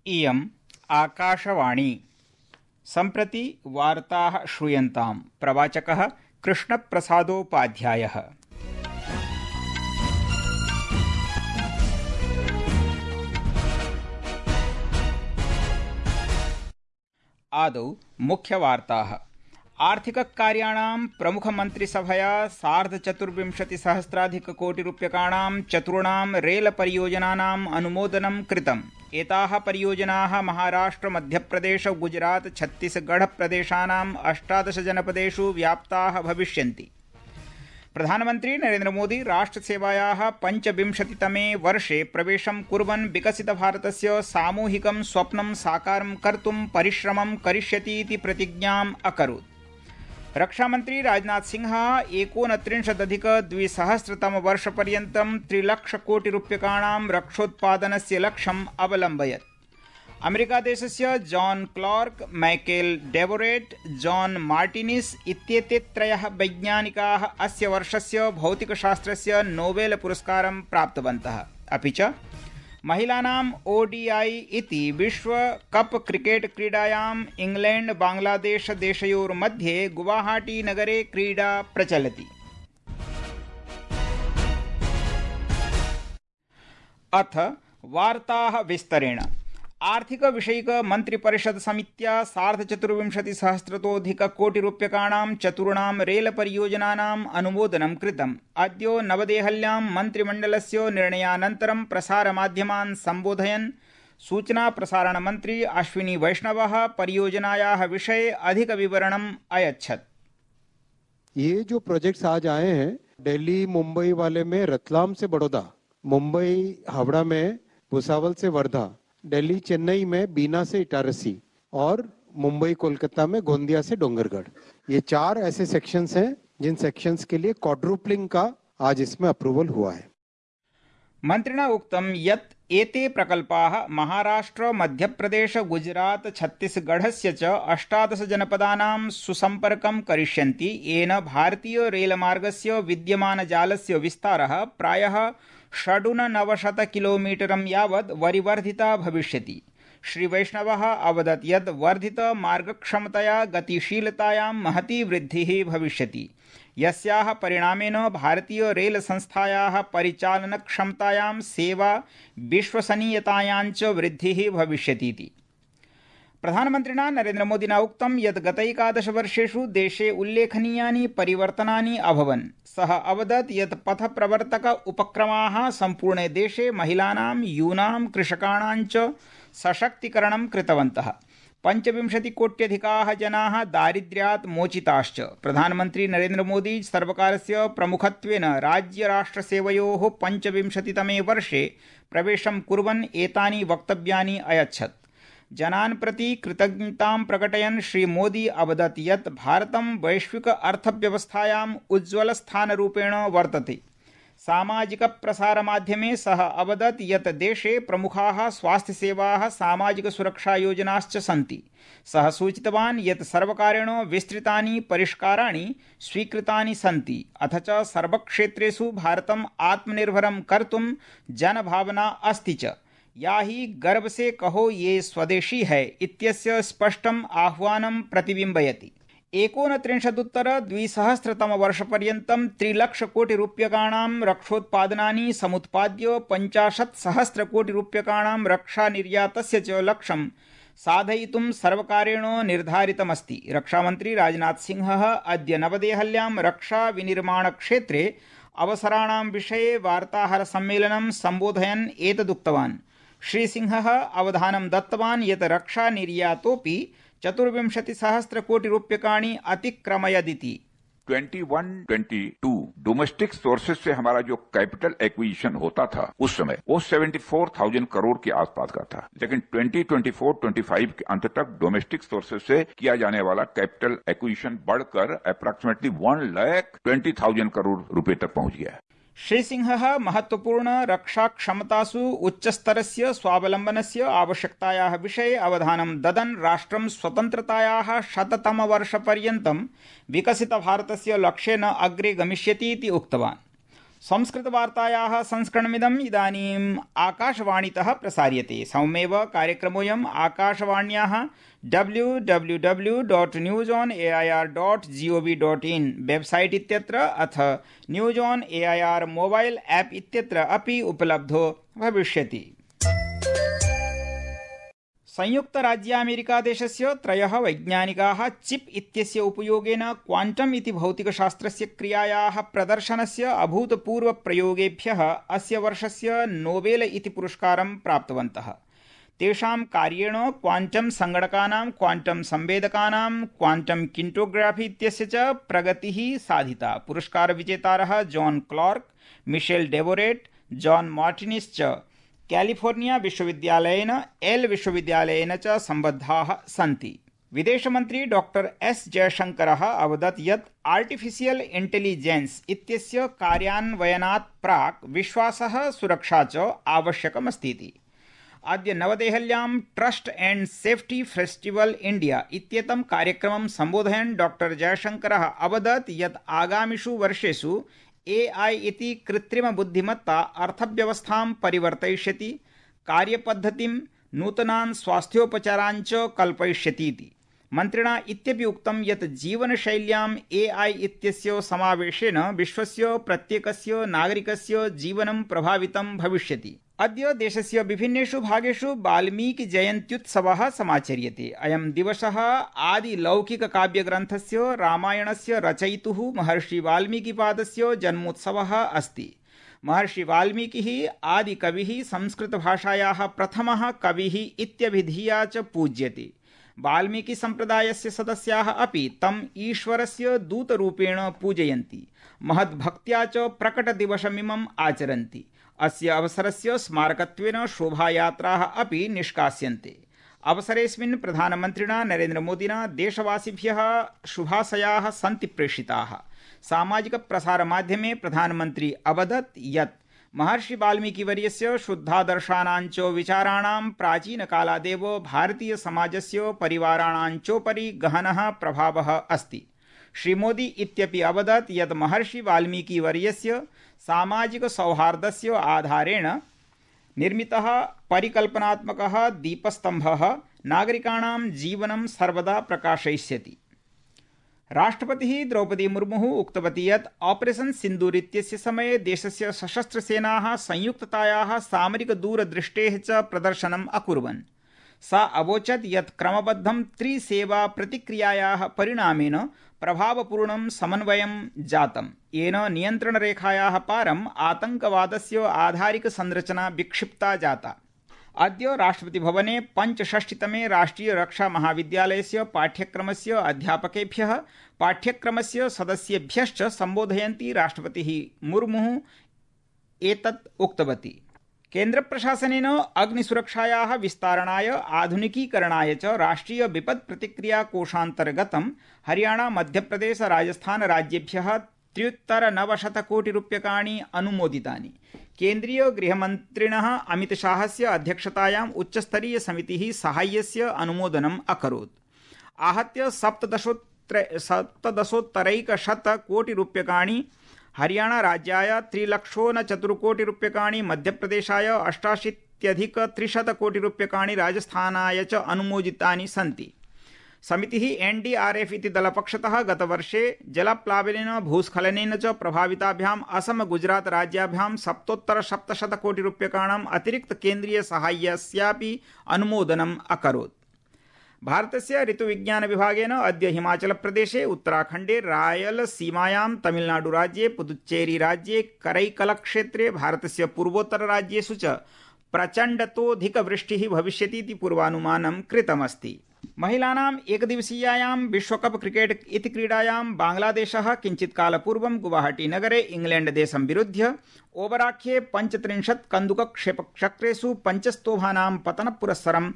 इयम् आकाशवाणी। सम्प्रति वार्ताः श्रूयन्ताम्। प्रवाचकः कृष्णप्रसादोपाध्यायः। आदौ मुख्यवार्ताः। आर्थिककार्याणां प्रमुखमन्त्रिसभया 24,000,000,000 चतुर्णां रेलपरियोजनानाम् अनुमोदनं कृतम्। एताः परियोजनाः महाराष्ट्र, मध्यप्रदेश, गुजरात, छत्तीसगढ़ प्रदेशानाम् 18 जनपदेषु व्याप्ताः भविष्यन्ति। प्रधानमन्त्री नरेन्द्र मोदी राष्ट्रसेवायाः 25तमे वर्षे प्रवेशं कुर्वन् विकसितभारतस्य सामूहिकं स्वप्नं साकारं कर्तुं परिश्रमं करिष्यति इति प्रतिज्ञाम् अकरोत्। रक्षामन्त्री राजनाथ सिंह 29,200,000,000 3,00,00,000,000 रक्षोत्पादनस्य लक्ष्यम् अवलम्बयत्। अमेरिकादेशस्य John Clarke, Michael Devoret, John Martinis इत्येते त्रयः वैज्ञानिकाः अस्य वर्षस्य भौतिकशास्त्रस्य नोबेल पुरस्कारं प्राप्तवन्तः। अपि च महिलानाम् ओडीआई इति विश्व कप क्रिकेट क्रीडायाम् इंग्लैंड बांग्लादेश देशयोर्मध्ये गुवाहाटी नगरे क्रीडा प्रचलति। अथ वार्ताः विस्तरेण। आर्थिक विषयिक मंत्रिपरिषद समित्या 24,000,000,000 चतुर्णां रेलपरियोजनानाम् अनुमोदनं कृतम्। अद्य नवदेहल्यां मन्त्रिमण्डलस्य निर्णयानन्तरं प्रसारमाध्यमान् सम्बोधयन् सूचनाप्रसारणमन्त्री अश्विनी वैष्णवः परियोजनायाः विषये अधिकविवरणम् अयच्छत्। ये जो प्रोजेक्ट्स आज आए हैं, दिल्ली मुंबई वाले में रतलाम से बड़ौदा, मुंबई हावड़ा में भुसावल से वर्धा, दिल्ली चेन्नई में बीना से इटारसी और मुंबई कोलकाता में गोंदिया से डोंगरगढ़। ये 4 ऐसे सेक्शंस हैं जिन सेक्शंस के लिए क्वाड्रुपलिंग का आज इसमें अप्रूवल हुआ है। मन्त्रिणा उक्तं यत् एते प्रकल्पाः महाराष्ट्र, मध्यप्रदेश, गुजरात, छत्तीसगढ़स्य च 18 जनपदानां सुसम्पर्कं करिष्यन्ति। येन भारतीय रेलमार्गस्य विद्यमानजालस्य विस्तारः प्रायः 96 किलोमीटरं यावत् वरिवर्धिता भविष्यति। श्री वैष्णवः अवदत् यत् वर्धित मार्गक्षमतया गतिशीलतायां महती वृद्धिः भविष्यति, यस्याः परिणामेन भारतीय रेल संस्थायाः परिचालनक्षमतायां, सेवा विश्वसनीयतायां च वृद्धिः भविष्यति। प्रधानमन्त्रिणा नरेन्द्रमोदिना उक्तं यत् गतैकादश वर्षेषु देशे उल्लेखनीयानि परिवर्तनानि अभवन्। सः अवदत् यत् पथप्रवर्तक उपक्रमाः सम्पूर्णे देशे महिलानां, यूनां, कृषकाणां च सशक्तीकरणं कृतवन्तः। 25 कोट्यधिकाः जनाः दारिद्र्यात् मोचिताश्च। प्रधानमन्त्री नरेन्द्रमोदी सर्वकारस्य प्रमुखत्वेन राज्यराष्ट्रसेवयोः 25तमे वर्षे प्रवेशं कुर्वन् एतानि वक्तव्यानि अयच्छत्। जनान् प्रति कृतज्ञतां प्रकटयन् श्री मोदी अवदत् यत् भारतं वैश्विक अर्थव्यवस्थायाम् उज्ज्वलस्थानरूपेण वर्तते। सामाजिकप्रसारमाध्यमे सः अवदत् यत् देशे प्रमुखाः स्वास्थ्यसेवाः, सामाजिकसुरक्षायोजनाश्च सन्ति। सः सूचितवान् यत् सर्वकारेण विस्तृतानि परिष्काराणि स्वीकृतानि सन्ति, अथ च सर्वक्षेत्रेषु भारतम् आत्मनिर्भरं कर्तुं जनभावना अस्ति च, या ही गर्व से कहो ये स्वदेशी है इत्यस्य स्पष्टम् आह्वानं प्रतिबिम्बयति। 29,200,000,000 3,00,00,000,000 रक्षोत्पादनानि समुत्पाद्य 50,000,000,000 रक्षानिर्यातस्य च लक्ष्यं साधयितुं सर्वकारेण निर्धारितमस्ति। रक्षामन्त्री राजनाथ सिंहः अद्य नवदेहल्यां रक्षाविनिर्माणक्षेत्रे अवसराणां विषये वार्ताहरसम्मेलनं सम्बोधयन् एतदुक्तवान्। श्री सिंहः अवधानं दत्तवान् यत् रक्षानिर्यातोऽपि 24,000,000,000 अतिक्रमयदिति। 21-22 डोमेस्टिक सोर्सेज से हमारा जो कैपिटल एक्विजिशन होता था उस समय वो 74,000 करोड़ के आसपास का था, लेकिन 2024-25 के अंत तक डोमेस्टिक सोर्सेज से किया जाने वाला कैपिटल एक्विजिशन बढ़कर अप्रॉक्सीमेटली 1,20,000 करोड़ रुपए तक पहुंच गया है। श्री सिंहः महत्वपूर्ण रक्षाक्षमतासु उच्चस्तरस्य स्वावलम्बनस्य आवश्यकतायाः विषये अवधानं ददन् राष्ट्रं स्वतन्त्रतायाः 100तमवर्षपर्यन्तं विकसितभारतस्य लक्ष्येन अग्रे गमिष्यति इति उक्तवान्। संस्कृतवार्तायाः संस्करणमिदम् इदानीम् आकाशवाणीतः प्रसार्यते। सममेव कार्यक्रमोऽयम् आकाशवाण्याः www.newsonair.gov.in वेबसाइट इत्यत्र अथ news on AIR mobile app इत्यत्र अपि उपलब्धो भविष्यति। संयुक्तराज्यामेरिकादेशस्य 3 वैज्ञानिकाः चिप इत्यस्य उपयोगेन क्वांटम इति भौतिकशास्त्रस्य क्रियायाः प्रदर्शनस्य अभूतपूर्वप्रयोगेभ्यः अस्य वर्षस्य नोबेल इति पुरस्कारं प्राप्तवन्तः। तेषां कार्येण क्वांटम संगणकानां, क्वांटम संवेदकानां, क्वांटम किंटोग्राफी इत्यस्य च प्रगतिः साधिता। पुरस्कारविजेतारः John Clarke, Michel Devoret, John Martinis च कैलिफोर्निया विश्वविद्यालयेन एल विश्वविद्यालयेन च सम्बद्धाः सन्ति। विदेशमन्त्री डॉक्टर एस जयशंकरः अवदत् यत् आर्टिफिशियल इंटेलिजेंस इत्यस्य कार्यान्वयनात् प्राक् विश्वासः, सुरक्षा च आवश्यकमस्तीति। अद्य नवदेहल्यां trust and safety festival India इत्येतं कार्यक्रमं सम्बोधयन् डॉक्टर जयशंकरः अवदत् यत् आगामिषु वर्षेषु एआई इति कृत्रिमबुद्धिमत्ता अर्थव्यवस्थां परिवर्तयिष्यति, कार्यपद्धतिं, नूतनान् स्वास्थ्योपचारान् च कल्पयिष्यतीति। मन्त्रिणा इत्यपि उक्तं यत् जीवनशैल्याम् एआई इत्यस्य समावेशेन विश्वस्य प्रत्येकस्य नागरिकस्य जीवनं प्रभावितं भविष्यति। अद्य देशस्य विभिन्नेषु भागेषु वाल्मीकिजयन्त्युत्सवः समाचर्यते। अयं दिवसः आदिलौकिककाव्यग्रन्थस्य रामायणस्य रचयितुः महर्षि वाल्मीकिपादस्य जन्मोत्सवः अस्ति। महर्षि वाल्मीकिः आदिकविः, संस्कृतभाषायाः प्रथमः कविः इत्यभिधीया च पूज्यते। वाल्मीकि सम्प्रदायस्य सदस्याः अपि तम् ईश्वरस्य दूतरूपेण पूजयन्ति, महद्भक्त्या च प्रकटदिवसमिमम् आचरन्ति। अस्य अवसरस्य स्मारकत्वेन शोभायात्राः अपि निष्कास्यन्ते। अवसरेऽस्मिन् प्रधानमन्त्रिणा नरेन्द्रमोदिना देशवासिभ्यः शुभाशयाः सन्ति प्रेषिताः। सामाजिकप्रसारमाध्यमे प्रधानमन्त्री अवदत् यत् महर्षि वाल्मीकिवर्यस्य शुद्धादर्शानां च विचाराणां प्राचीनकालादेव भारतीयसमाजस्य परिवाराणां चोपरि गहनः प्रभावः अस्ति। श्रीमोदी इत्यपि अवदत् यत् महर्षि वाल्मीकिवर्यस्य सामाजिकसौहार्दस्य आधारेण निर्मितः परिकल्पनात्मकः दीपस्तम्भः नागरिकाणां जीवनं सर्वदा प्रकाशयिष्यति। राष्ट्रपतिः द्रौपदी मुर्मुः उक्तवती यत् ऑपरेशन सिन्दूर इत्यस्य समये देशस्य सशस्त्रसेनाः संयुक्ततायाः सामरिकदूरदृष्टेः च प्रदर्शनम् अकुर्वन्। सा अवोचत् यत् क्रमबद्धं त्रिसेवा प्रतिक्रियायाः परिणामेन प्रभावपूर्णं समन्वयं जातं, येन नियन्त्रणरेखायाः पारम् आतङ्कवादस्य आधारिकसंरचना विक्षिप्ता जाता। अद्य राष्ट्रपतिभवने 65तमे राष्ट्रीय रक्षा महाविद्यालयस्य पाठ्यक्रमस्य अध्यापकेभ्यः, पाठ्यक्रमस्य सदस्येभ्यश्च सम्बोधयन्ती राष्ट्रपतिः मुर्मुः एतत् उक्तवती। केन्द्रप्रशासनेन अग्निसुरक्षायाः विस्तारणाय, आधुनिकीकरणाय च राष्ट्रीय विपत् प्रतिक्रिया कोषान्तर्गतं हरियाणा, मध्यप्रदेश, राजस्थान राज्येभ्यः 3,900 कोटि रूप्यकाणि अनुमोदितानि। केन्द्रीय गृहमन्त्रिणः अमितशाहस्य अध्यक्षतायाम् उच्चस्तरीय समितिः साहाय्यस्य अनुमोदनम् अकरोत्। आहत्य 17,100 कोटि रूप्यकाणि हरियाणा राज्याय, 3,04 कोटि रूप्यकाणि मध्यप्रदेशाय, 88,300 कोटि रूप्यकाणि राजस्थानाय च अनुमोदितानि सन्ति। समितिः एनडीआरएफ इति दलपक्षतः गतवर्षे जलप्लावनेन, भूस्खलनेन च प्रभाविताभ्याम् असम, गुजरात राज्याभ्यां 7,700 कोटि रूप्यकाणाम् अतिरिक्त केन्द्रीय साहाय्यस्यापि अनुमोदनम् अकरोत्। भारतस्य ऋतुविज्ञान विभागेन अद्य हिमाचलप्रदेशे, उत्तराखण्डे, रायलसीमायां, तमिलनाडुराज्ये, पुदुच्चेरीराज्ये, करैकलक्षेत्रे, भारतस्य पूर्वोत्तरराज्येषु च प्रचण्डतोऽधिकवृष्टिः भविष्यतीति पूर्वानुमानं कृतमस्ति। महिलानाम् एकदिवसीयायां विश्वकप क्रिकेट इति क्रीडायां बांग्लादेशः किञ्चित्कालपूर्वं गुवाहाटीनगरे इंग्लैण्डदेशं विरुध्य ओवराख्ये 35 कन्दुकक्षेपचक्रेषु 5 स्तोभानां पतनपुरस्सरं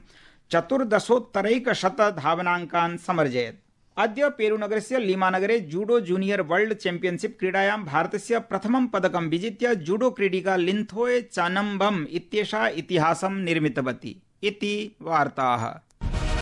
14,100 धावनाङ्कान् समर्जयत्। अद्य पेरूनगरस्य लीमानगरे जूडो जूनियर वर्ल्ड चैम्पियनशिप क्रीडायां भारतस्य प्रथमं पदकं विजित्य जूडो क्रीडिका लिन्थोय चानम्बम इत्येषा इतिहासं निर्मितवती इति वार्ताः।